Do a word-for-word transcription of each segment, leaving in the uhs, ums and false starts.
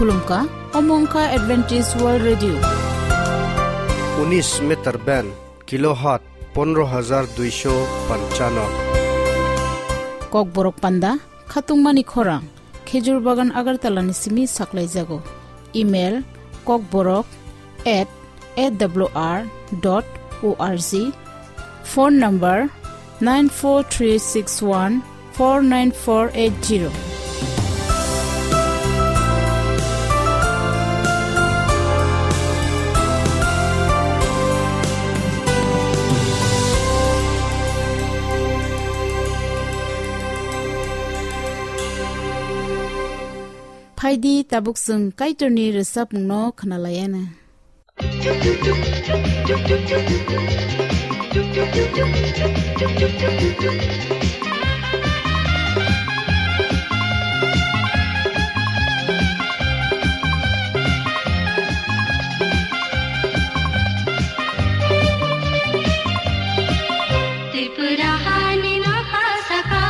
Khulumkha, omo wngkha Adventist World Radio. Unis meter band, kilohertz pondro hajar duisho panchano. Kokborok panda, khatungmani khorang, Khejur Bagan Agartala ni simi saklaijago. Email, kokborok at A W R dot O R G. Phone number nine four three six one four nine four eight zero. Phaidi tabuk chwng Kaitorni rwchapmungno khwnalaiana. Tripura hani nokha saka,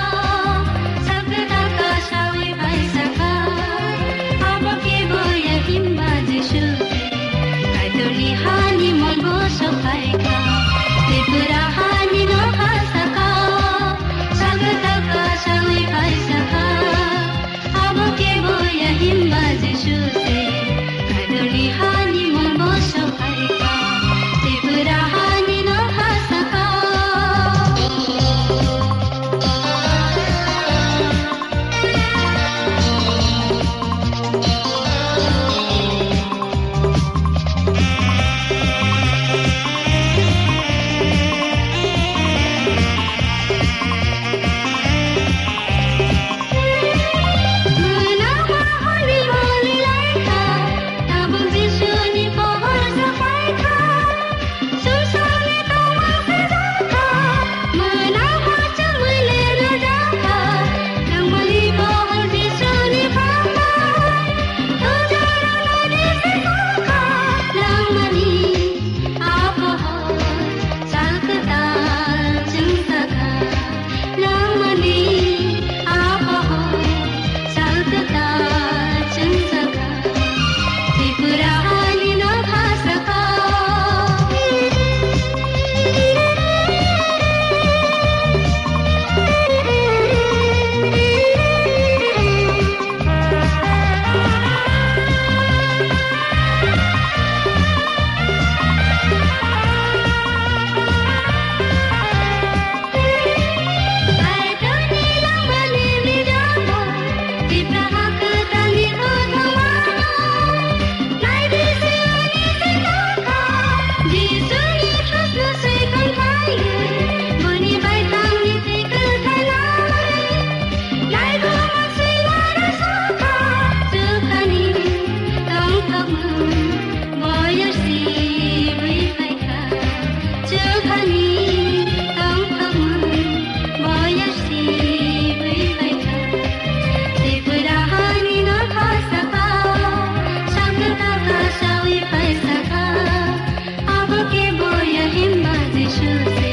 sakta kasawi bai saka, abo kebo ya himba Jisu se, Kaitorni hani molbo sokhaika. Tripura hani nokha saka, sakta kasawi bai saka, abo kebo ya himba Jisu se, Kaitorni hani molbo sokhaika. Tripura hani nokha saka. Nangmani apoho salkata chwngsaka, Tripura hani nokha saka. Abo kebo ya himba Jisu se,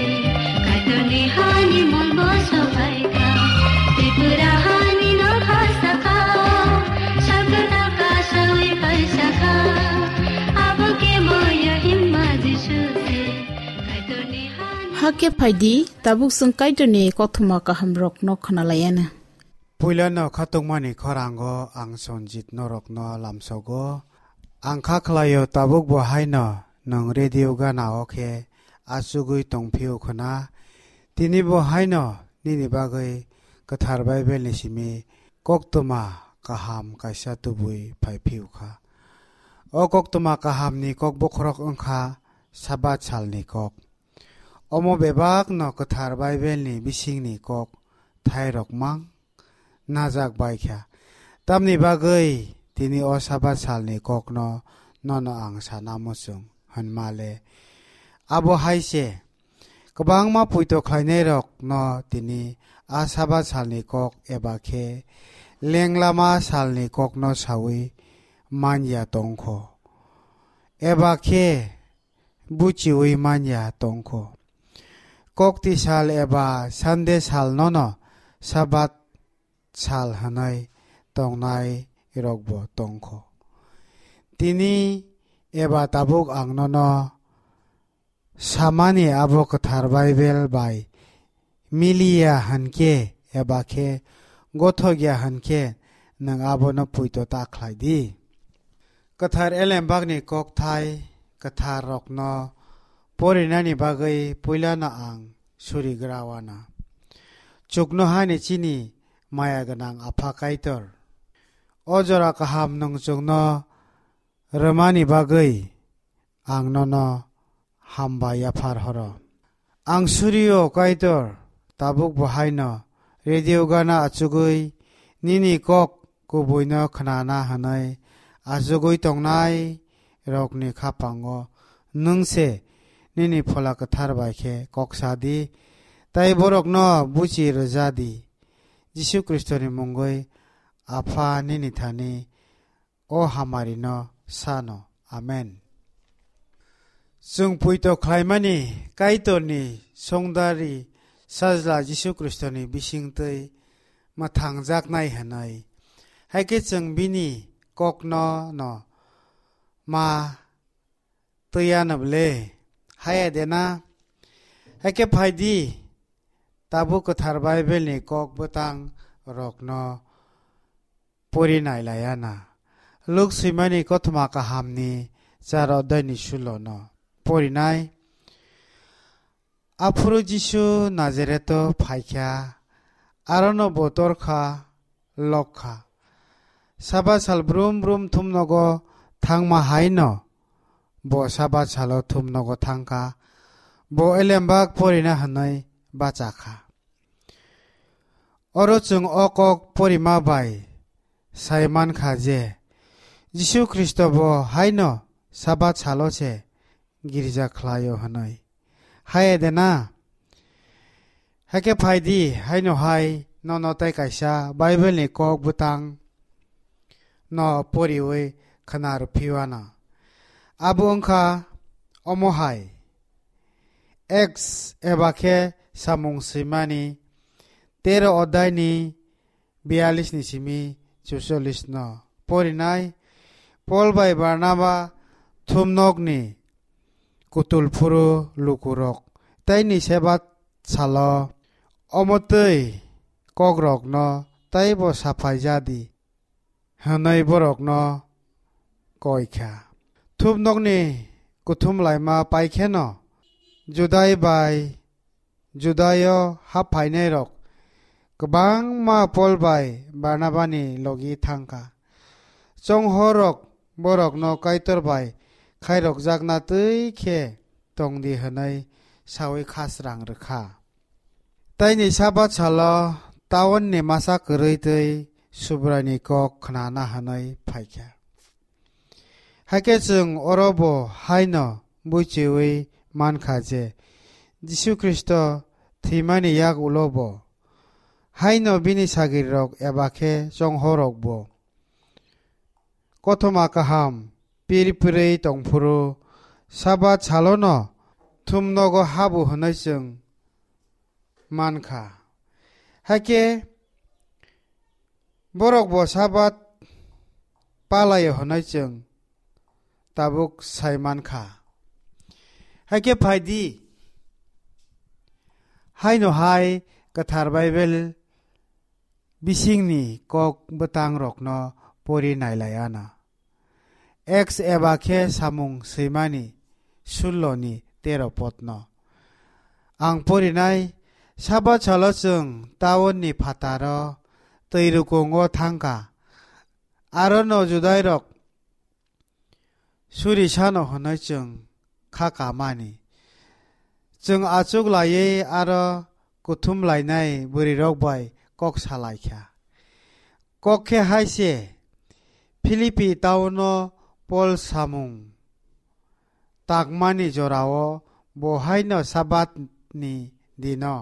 Kaitorni hani molbo sokhaika. Tripura hani nokha saka, sakta kasawi paisaka. Abo kebo ya himba Jisu se, Kaitorni hani. Hakhe phaidi, tabuk chwng Kaitorni kothoma kahamrokno khwnalaiana. Puilano khatungmani khorango ang Sonjit norokno lamsogo. Ang kha khlaio tabuk bo haino nwng radio gana o khe achugwi tongphio khwna. Tini bo haino nini bagwi kwthar Bible ni simi koktwma kaham kaisa tubui phai phio kha. O koktwma kahamni kok bokhorok wngkha Sabat salni kok. Omo bebakno kwthar Bible ni bisingni kok thairok mang najak bai kha. Tamni bagwi tini o Sabat salni kokno nono ang sana muchung hwnma le. Abo hai se, kwbangma puito khlainairokno tini a Sabat salni kok eba khe lenglama salni kokno saui man ya tong kho. Eba khe buchiui man ya tong kho. Kokti sal eba Sunday sal nono Sabat sal hwnwi tongnai rokbo tong kho. Tini eba tabuk ang nono samani abo kwthar Baibel bai miliya hwn khe eba khe gothok ya hwn khe nwng abono poito ta khlai di. Kwthar Elembakni kokthai kwtharrokno porinani bagwi puilano ang surigra wana. Chuknohani chini maya gwnang Apha Kaitor, o jora kaham nwng chwngno rwmani bagwi ang nono hambai yaphar horo. Ang surio Kaitor, tabuk bo haino radio gana achugwi nini kok kubuino khnana hwnwi achugwi tongnai rokni khapango nwng se nini Phola Kwthar bai khe kok sa di, tei borokno buchi rwja di. Jisu Khristoni mungwi Apha nini thani o hamarino sano. Amen. Chwng poito khlaimani Kaitorni songdari Sajla Jisu Khristoni bisingtwi mwthangjaknai hwnwi, hai khe chwng bini kokno no ma twiya nw bwle? Haya de na? Hai khe phai di, tabuk kwthar Baibelni kok bwtang rokno pori nai laiya na. Luk swimani kothoma kahamni char odai ni sulo no porinai. Aphuru Jisu Nazareto phaikha, arono bo torkha, lokha. Sabat sal brum brum thumnogo thangma haino bo Sabat salo thumnogo thangkha. Bo elembak porina hwnwi bachakha. Oro chwng o kok porima bai sai mankha je Jisu Khristo bo haino Sabat salo se girja khlaio hwnwi. Hai de na? Hakhe phai di, haino hai nono tei kaisa Baibelni kok bwtang no poriwi khna rw phiwana. Abo wngkha omo hai, Acts eba khe Samung Swimani tero odaini biyallis ni simi chuchollis no porinai. Pol bai Barnaba thumnokni kutul phuru lukurok tei ni Sebat salo omo twi kokrokno tei bo saphai ja di hwnwi borokno koi kha. Thumnokni kuthum laima pai kheno Judai bai Judaio hap phainairok kwbangma Pol bai Barnabani logi thang kha. Chonghorrok borokno Kaitor bai khairokjakna twi khe tong di hwnwi saui khasrang rw kha. Taini Sabat salo taunni masa kwrwi twi Subraini kok khnana hwnwi phai kha. Hakhe chwng oro bo haino buichiui man kha je Jisu Khristo thwimani yak ulo bo haino bini sagrirok eba khe chonghorrok bo kothoma kaham pir pirwi tong phuru Sabat salono thumnogo habu hwnwi chwng man kha. Hakhe borok bo Sabat palaio hwnwi chwng tabuk sai man kha. Hakhe phai di, haino hai Kwthar Baibel bisingni kok bwtangrokno pori nai lai anw. Acts eba khe Samung Swimani sullo ni tero podno ang porinai. Sabat salo chwng taunni phataro twi rukungo thang kha. Arono Judairok suri sano hwnwi chwng kha kamani. Chwng achuk laiwi aro kuthum lainai bwrwirok bai kok sa lai kha. Kok khe hai se, Philippi taunno Pol samung takmani jorao bo haino Sabatni dino.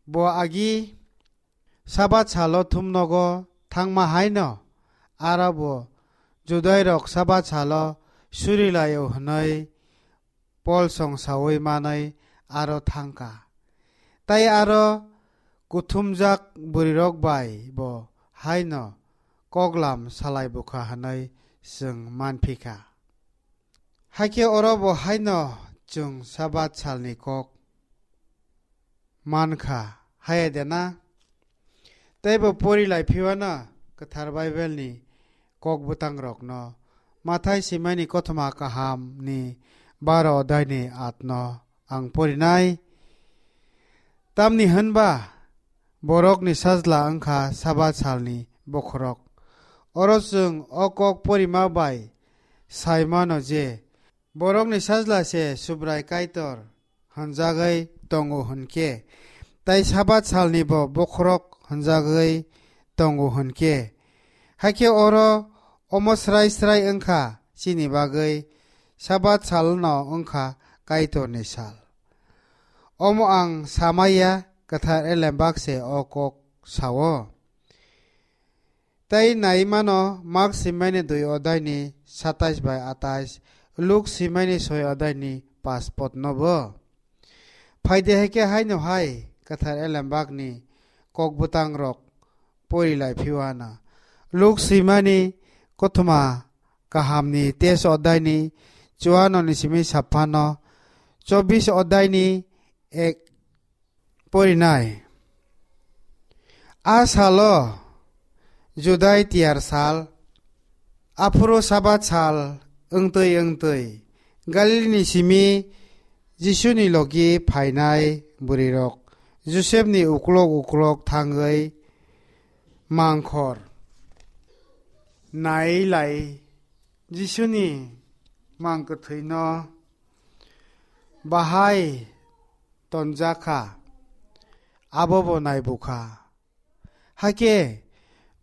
Bo agi Sabat salo thumnogo thangma haino aro bo Judairok Sabat salo suri laio hwnwi Pol songsaui manwi aro thang kha. Tai aro kuthumjak bwrwirok bai bo haino koklam salai bukha hwnwi chwng man phi kha. Hakhe oro bo haino chwng Sabat salni kok man kha, haya de na? Tei bo pori lai phiwano kwthar Bible ni kok bwtang rokno Mathai simani kothoma kaham ni baro odai ni at no ang porinai. Tamni hwnba borok ni sajla wngkha Sabat salni bokhorok. Oro chwng o kok porima bai sai mano je borokni sajla se Subrai Kaitor hwnjagwi tongo hwnkhe, tei Sabat salni bo bokhorok hwnjagwi tongo hwnkhe. Hakhe oro omo srai srai wngkha chini bagwi Sabat salno wngkha Kaitorni sal. Omo ang samaya, kwthar elembak se o kok sao. Tei nai mano Mark simani dui odai ni satais bai atais, Luk simani soi odai ni pas pot no bo. Phaide hai khe haino hai kwthar elembak ni kok bwtang rok pori lai phiwana. Luk simani kothoma kaham ni tes odai ni chuano ni simi saphano chobis odai ni ek porinai. A salo Judai tiyar sal, aphuru Sabat sal wngtwi wngtwi Galilini simi Jisuni logi phainai bwrwirok Josepni uklok uklok thangwi mangkhor nai lai Jisuni mang kwthwino bahai tonjakha, abo bo naibukha. Hakhe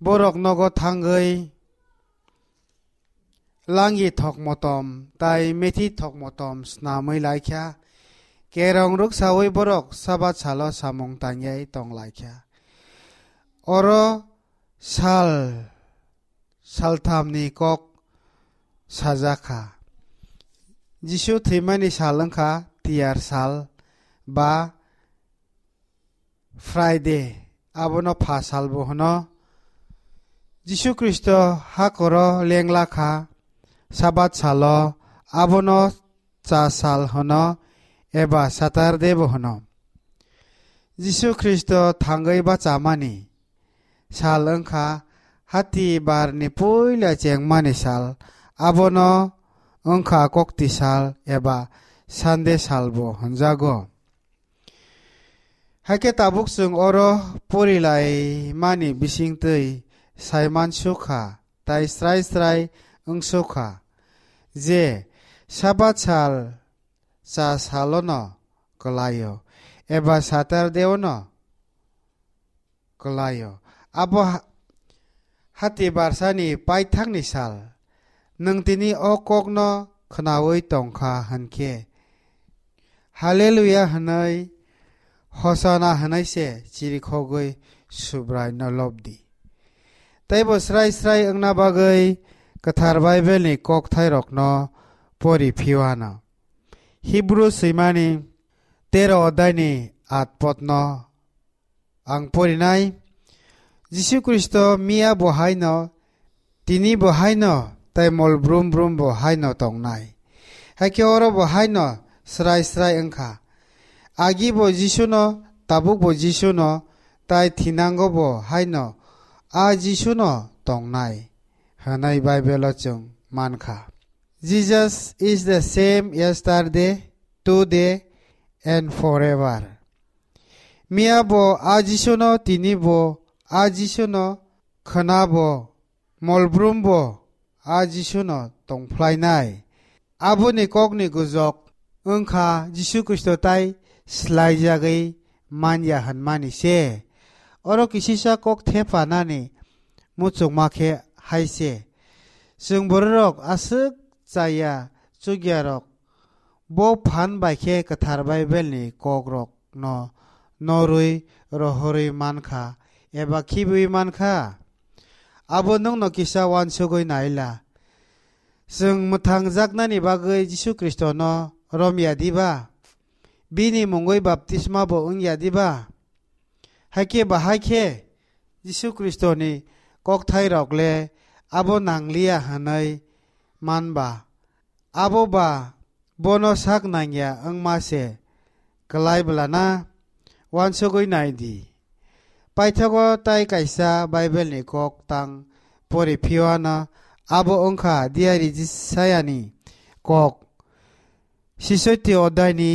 borok nogo thangwi langi thok motom tai methi thok motom snamwi laikha. Kerong rwksawi borok Sabat salo samung tangyai tong laikha. Oro sal salthamni kok sajakha. Jisu thwimani sal wngkha tiyar sal ba Friday, abono pha salbo hwno. Jisu Khristo hakoro lengla kha, Sabat salo abono cha sal hwno eba Saturday bo hwno. Jisu Khristo thangwi bachamani sal wngkha hati barni puila chengmani sal, abono wngkha kokti sal eba Sunday salbo hwnjago. Hakhe tabuk chwng oro porilaimani bisingtwi saiman sukha tai srai srai wngsukha je Sabat sal cha salono kwlaio eba Saturday-ono kwlaio. Abo ha-, hati barsani paithakni sal. Nwng tini o kokno khnaui tongkha hwnkhe, Haleluya hwnwi, Hosana hwnwi se chirikhogwi Subraino lobdi. Teibo srai srai wngna bagwi Kwthar Baibelni kokthairokno pori phiwano. Hibru swimani tero odaini at potno ang porinai. Jisu Khristo miya bo haino, tini bo haino, tai mol brum brum bo haino tongnai. Hakhe oro bo haino srai srai wngkha. Agi bo Jisuno, tabuk bo Jisuno, tai thinango bo haino a Jisuno tongnai, hwnwi Baibelo chwng mankha. Jesus is the same yesterday, today, and forever. Miya bo a Jisuno, tini bo a Jisuno, khwna bo, mol brum bo a Jisuno tongphlainai. Aboni kokni gujok wngkha Jisu Khristo tai slaijagwi manya hwnmani se. Oro kisisa kok thephanani muchungma khe hai se. Chwng bororok aswk chaya chukyarok bo phan bai khe Kwthar Baibelni kokrokno norwi rohorwi mankha eba khibiui mankha. Abo nwngno kisa uansugui naila. Chwng mwthangjaknani bagwi Jisu Khristono romya diba? Bini mungwi baptisma bo wngya diba? Hakhe bahai khe Jisu Khristoni kokthairok le abo nangliya hwnwi man ba, abo ba bono sak nangya wngma se kwlai bwlana uansugwi nai di. Paithago tai kaisa Bible ni kok tang pori phiyano abo wngkha diari Jisayani kok. Sisoti odai ni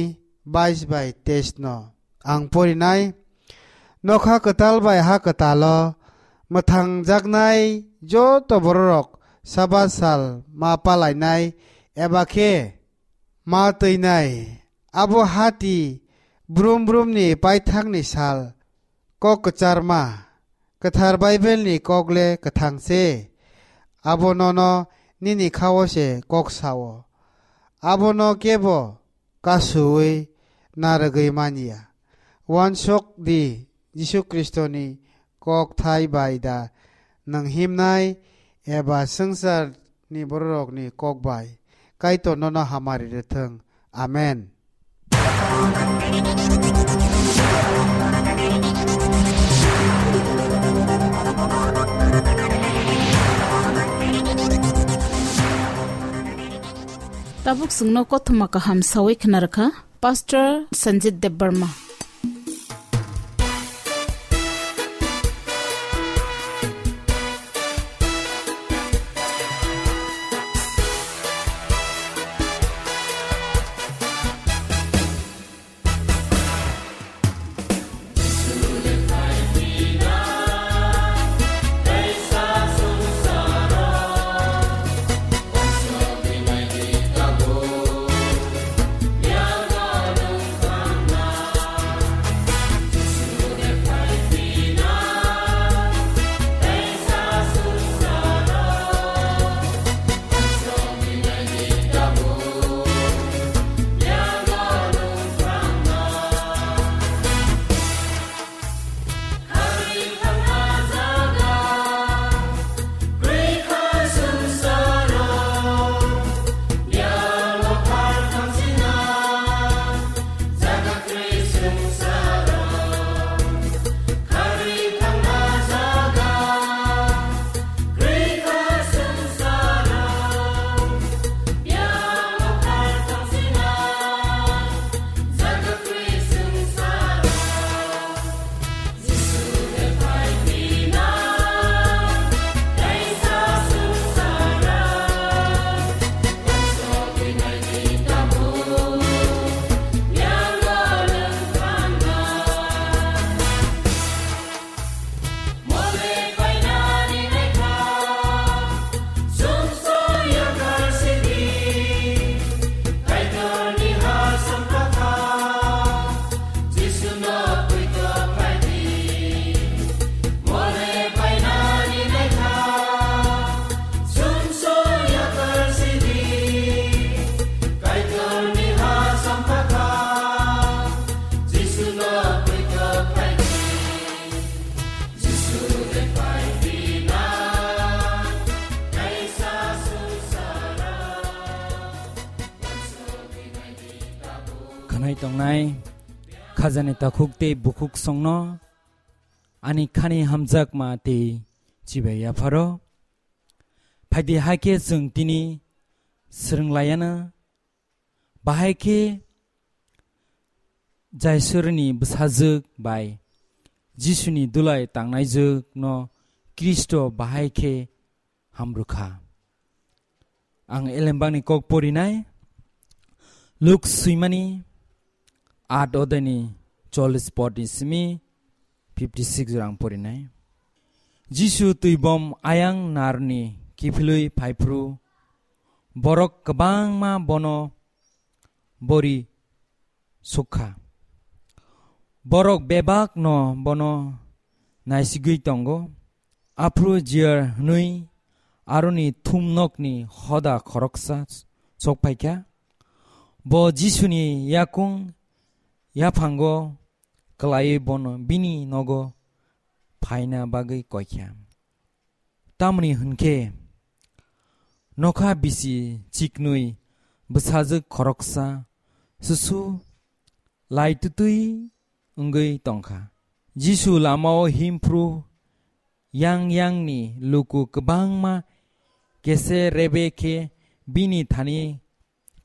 bais bai teis no ang porinai. Nokha kwtal bai ha kwtalo mwthangjaknai joto bororok Sabat sal ma palainai eba khe ma twinai. Abo hati brum brum ni paithak ni sal kok kwcharma, kwthar Bible ni kok le kwthang se. Abo nono nini khao se kok sao. Abono kebo kasuwi narwgwi manya. Uansuk di Jisu Khristo ni kok thai bai da nwng himnai eba swngchar ni bororok ni kok bai. Kaitor nono hamari rwthwng. Amen. Tabuk chwngno kothoma kaham sawi khna rwkha Pastor Sanjit Debbarma. Khwnai tongnai khajani takhuk tei bukhuk songno ani khani hamjakma tei chibai yapharo. Phaidi hai khe chwng tini swrwng laiya na, bahai khe Jaisurni bwsajwk bai Jisuni dulai tangnai jwk no Khristo bahai khe hamrwkha. Ang elembakni kok porinai, Luk swimani aat odani chollis podni simi fifty six rang porinai. Jisu twibom ayang narni kiphilwi phaiphru borok kwbangma bono bori sukha. Borok bebak no bono naisigwi tongo. Aphuru Jiar hwnwi aroni thumnokni hoda khoroksa sok phaikha. Bo Jisuni yakung yaphango kwlaiwi bono bini nogo phaina bagwi koikha. Tamni hwnkhe nokha bisi chiknwi bwsajwk khoroksa susu laitutwi wngwi tongkha. Jisu lamao himphru yang yangni luku kwbangma kese rebe khe bini thani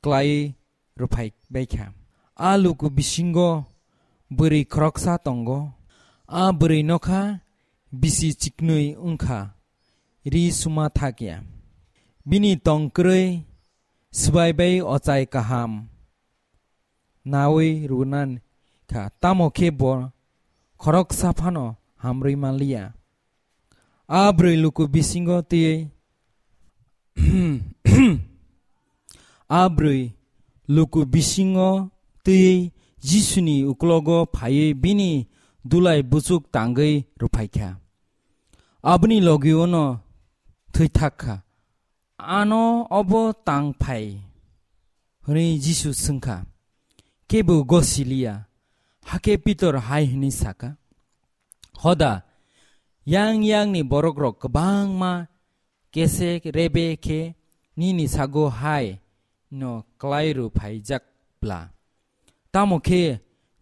klaiwi rwphai bai kha. A luku bisingo bwrwi khoroksa tongo. A bwrwi nokha bisi chiknwi wngkha, ri suma thak ya. Bini tong kwrwi swbai bai ochai kaham nawi rwna kha, tamo khe bo khoroksa phano hamrwi man liya. A bwrwi luku bisingo twiwi, a bwrwi luku bisingo twiwi Jisuni uklogo phaiwi bini dulai buchuk tangwi rwphai kha. Aboni logi-o'-no thwi thak kha. "Ano obo tang phai?" hwnwi Jisu swng kha. Kebo gosi liya. Hakhe Pitor hai hwnwi sa kha, "Hoda, yang yangni borokrok kwbangma kesek rebe khe nini sago hai no klai rw phaijak bla?" Tamo khe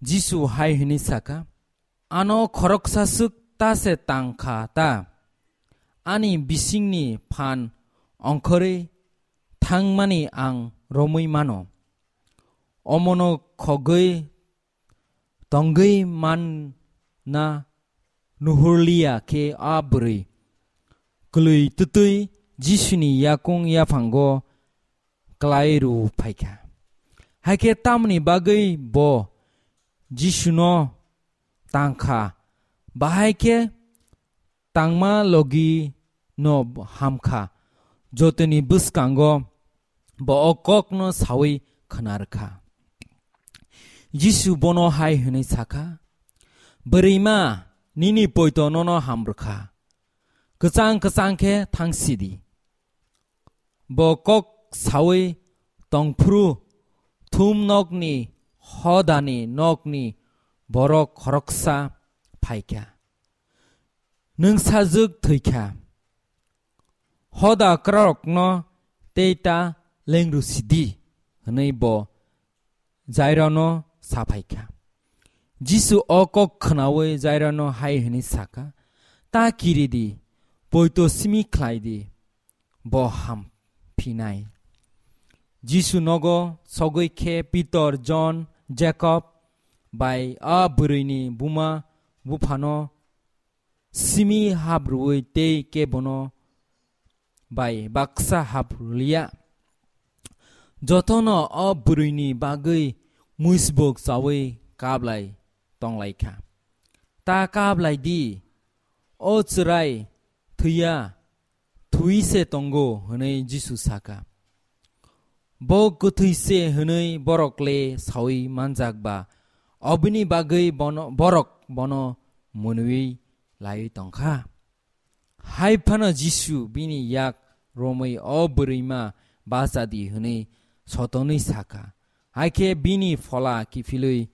Jisu hai hwnwi sa kha, "Ano khoroksa swk ta se tang kha ta? Ani bisingni phan ongkhorwi thangmani ang romwi mano. Omono khogwi tongwi manna nuhurliya khe a bwrwi kwlwi twtwi Jisuni yakung yaphango klai rw phai kha." Hai khe tamoni bagwi bo Jisuno tang kha, bahai khe tangma logi no ham kha. Jotoni bwskango bo o kokno sawi khwna rwkha. Jisu bono hai hwnwi sa kha, "Bwrwima, nini poito nono ham rwkha. Kwchang kwchang khe thang sidi." Bo kok sawi tongphuru thum nokni hodani nokni borok khoroksa phai kha. "Nwng sajwk thwi kha. Hoda kwrarokno tei ta lengru sidi," hwnwi bo Jairano sa phai kha. Jisu o kok khwnawi Jairano hai hwnwi sa kha, "Ta kiri di, poito simi khlai di, bo ham phinai." Jisu nogo sogwi khe Pitor, Jon, Jakob bai a bwrwini buma buphano simi hap rwui tei kebono bai baksa hap rwliya. Jotono o bwrwini bagwi muisbok chaui kablai tonglai kha. "Ta kablai di, o chwrai thwiya, thwi se tongo," hwnwi Jisu sa kha. Bo kwthwi se hwnwi borok le saui manjak ba, obini bagwi bono, borok bono mwnwi laiwi tong kha. Hai phano Jisu bini yak romwi o bwrwima bacha di hwnwi sotonwi sa kha. Hai khe bini phola kiphilwi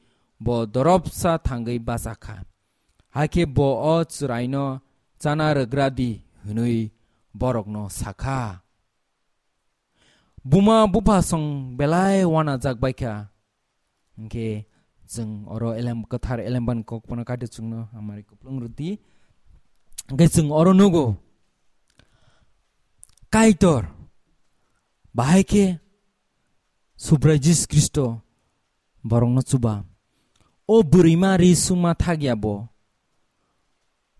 bo doropsa thangwi bacha kha. Hai khe bo o chwraino chana rwgra di hwnwi borokno sa kha. Buma bupha song belai wanajak bai kha. Hwnkhe chwng oro elem kwthar elemban kok phano kaito chwngno hamari kuplung rwdi. Hwnkhe chwng oro nugo Kaitor bahai khe Subrai Jisu Khristo borokno chuba. O bwrwima ri suma thakya bo.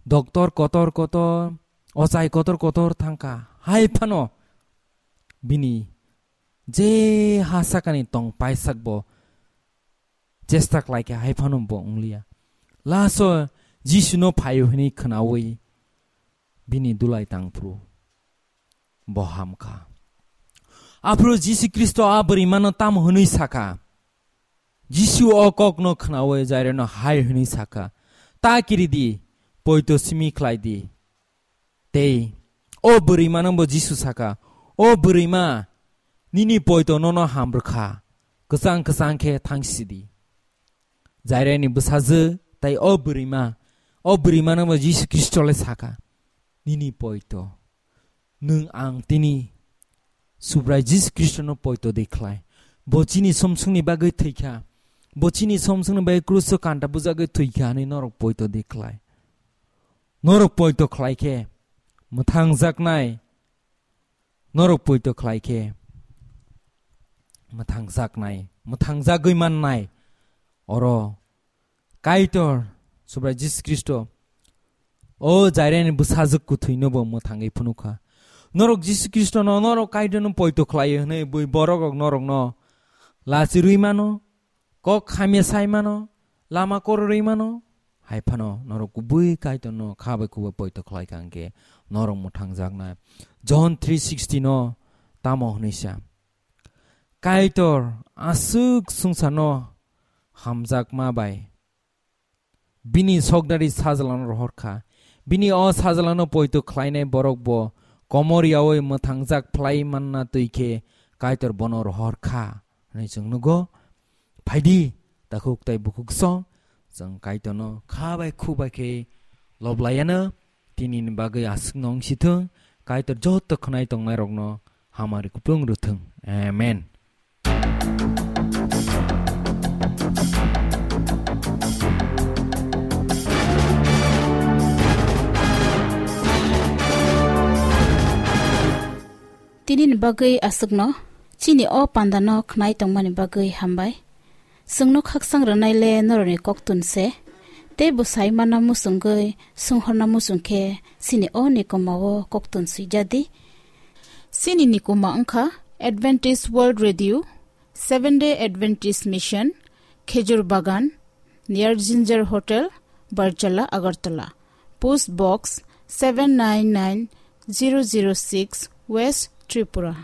Doktor kotor kotor, ochai kotor kotor thangkha. Hai phano bini je ha sakani tong paisak bo chesta khlaikha, hai phano bo wngliya. Last o Jisuno phaio hwnwi khwnaui bini dulai tangphru bo hamkha. Aphuru Jisu Khristo a bwrwimano tamo hwnwi sakha? Jisu o kokno khwnaui Jairano hai hwnwi sakha, "Ta kiri di, poito simi khlai di." Tei o bwrwimano bo Jisu sakha, "O bwrwima, nini poito nono hamrwkha, kwchang kwchang khe thang sidi." Jairani bwsajwk tai o bwrwima, o bwrwimano bo Jisu Khristo le sakha, "Nini poito, nwng ang tini Subrai Jisu Khristono poito de khlai. Bo chini somsongni bagwi thwikha. Bo chini somsongni bagwi kruso kanta bujagwi thwikha," hwnwi norok poito de khlai. Norok poito khlai khe mwthangjaknai, norok poito khlai khe mwthangjaknai, mwthangjagwi mannai. Oro Kaitor Subrai Jisu Khristo o Jairani bwsajwk kwthwino bo mwthangwi phunukha. Norok Jisu Khristono, norok Kaitorno poito khlaio hwnwi bui borok rok norokno lachirwi mano, kok hamya sai mano, lama kororwi mano, hai phano norok kubui Kaitorno kha bai khubui poito khlai kha hwnkhe norok mwthangjaknai. John three sixty no tamo hwnwi sa, Kaitor aswk swngcharno hamjakma bai bini sokdari sajlano rohor kha. Bini o sajlano poito khlainai borok bo komor yaui mwthangjak phlai manna twi khe Kaitor bono rohor kha hwnwi chwng nugo. Phaidi, takhuk tai bukhuk song, chwng Kaitorno kha bai khu bai khe lob laiano, tinini bagwi aswkno wng si thung, Kaitor joto khwnai tongnai rokno hamari kuplung rw thung. Amen. Tinini bagwi aswkno, chini o pandano khwnai tongmani bagwi hambai. Chwngno khakchang rwnai le norokni koktun se, tei bwsai mana muchungwi sunghorna muchung khe chini o nikoma o koktun swijadi. Chini nikoma wngkha Adventist World Radio, Seventh Day Adventist Mission, Khejur Bagan, near Ginger Hotel, Barjala, Agartala. Post Box seven nine nine zero zero six, West Tripura.